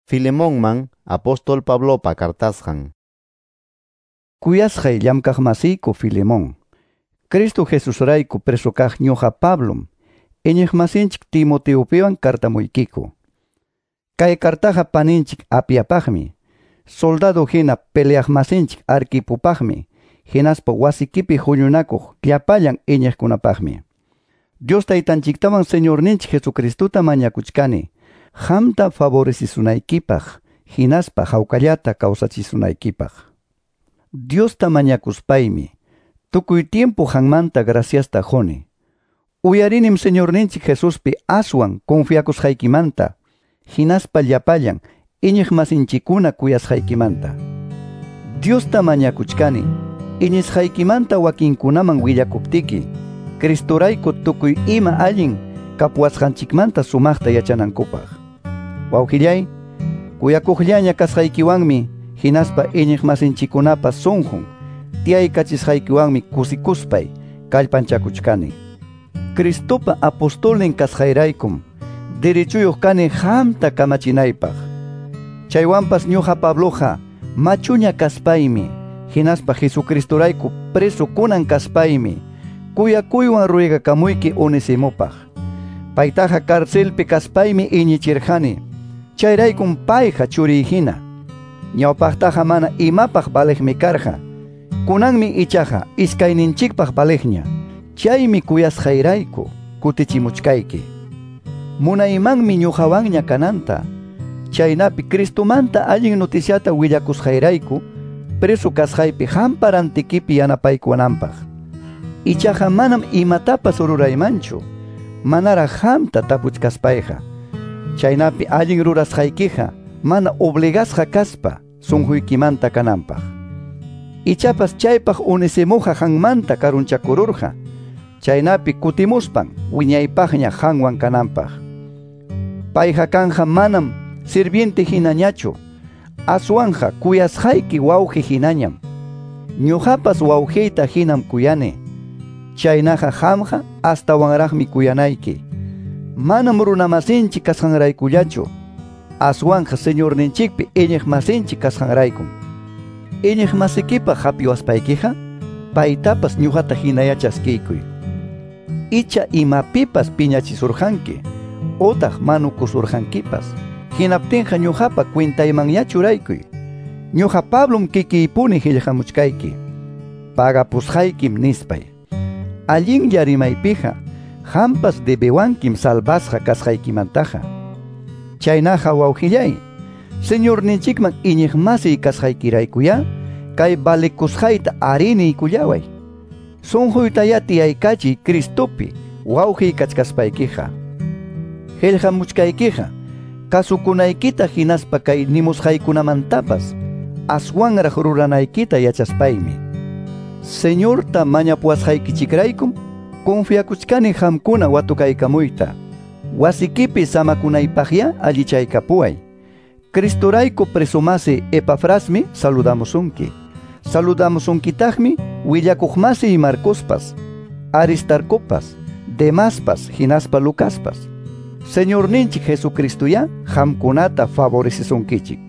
Filemonman apóstol Pablopa cartasqan. Kuyasqay llamkaqmasiyku Filemón, Cristo Jesusrayku preso kaq ñuqa Pablom, iñiqmasinchik Timoteopiwan cartamuykiku. Kay cartaqa paninchik Apiapaqmi, soldado hina peleaqmasinchik Arquipopaqmi, hinaspa wasikipi huñunakuq llapallan iñiqkunapaqmi. Dios taytanchiktawan Señorninchik Jesucristota mañakuchkani, qamta favorecizunaykipaq, hinaspa hawkallata kawsachisunaykipaq. Diosta mañakuspaymi, tukuy tiempo qanmanta graciasta quni. Uyarinim Señorninchik Jesuspi aswan confiakusqaykimanta, hinaspa llapallan iñiqmasinchikkuna kuyasqaykimanta. Diosta mañakuchkani, iñisqaykimanta wakinkunaman willakuptiki, Cristorayku tukuy ima allin kapuwasqanchikmanta sumaqta yachanankupaq. Wawqillay, kuyakuqllaña kasqaykiwanmi, hinaspa iñiqmasinchikkunapa sunqun tiyaykachisqaykiwanmi kusikuspay kallpanchakuchkani. Cristopa apostolnin kasqayraykum derechuyuq kani qamta kamachinaypaq. Chaywanpas ñuqa Pabloqa machuña kaspaymi, hinaspa Jesucristorayku preso kunan kaspaymi, kuyakuywan ruegakamuyki Onesimopaq. Paytaqa carcelpi kaspaymi iñichirqani, chayraykum payqa churiy hina. Ñawpaqtaqa mana imapaq valeqmi karqa, kunanmi ichaqa iskayninchikpaq valeqña. Chaymi kuyasqayrayku kutichimuchkayki. Munaymanmi ñuqawanña kananta, chaynapi Cristomanta allin noticiata willakusqayrayku preso kasqaypi qampa rantikipi yanapaykuwananpaq. Ichaqa manam imatapas ruraymanchu, manaraq qamta tapuchkaspayqa. Chaynapi allin rurasqaykiqa mana obligasqa kaspa sunquykimanta kananpaq. Ichapas chaypaq Onesimoqa qanmanta karunchakururqa, chaynapi kutimuspan wiñaypaqña qanwan kananpaq. Payqa kanja manam sirviente hinañachu, aswanja kuyasqayki wawqi hinañam. Ñuqapas wawqiyta hinam kuyani, chaynaqa qamqa astawanraqmi kuyanayki. Manam runamasinchik kasqanraykullachu, aswanja Señorninchikpi iñiqmasinchik kasqanraykum. Iñiqmasikipaq hapiwaspaykiqa, paytapas ñuqata hinaya chaskiykuy. Icha imapipas piñachisurqanki, utaq manukusurqankipas, hinaptinqa ñuqapa cuentaymanña churaykuy. Ñuqa Pablom kikiypuni qillqamuchkayki, pagapusqaykim nispay. Allinlla rimaypiqa, qampas debewankim salvasqa kasqaykimantaqa. Chaynaqa wawqillay, Señorninchikman iñiqmasiy kasqaykiraykuyá, kay valekusqayta ariniykullaway. Sunquytayá tiyaykachiy Cristopi wawqiy kachkaspaykiqa. Qillqamuchkaykiqa, kasukunaykita hinaspa kay nimusqaykunamantapas aswanraq ruranaykita yachaspaymi. Señorta mañapuwasqaykichikraykum confiakuchkani qamkuna watukaykamuyta. Wasikipi samakunaypaqyá allichaykapuway. Cristorayku presomasi Epafrasmi saludamusunki. Saludamusunkitaqmi willakuqmasi Marcospas, Aristarcopas, Demaspas, hinaspa Lucaspas. Señorninchik Jesucristoyá qamkunata favorecisunkichik.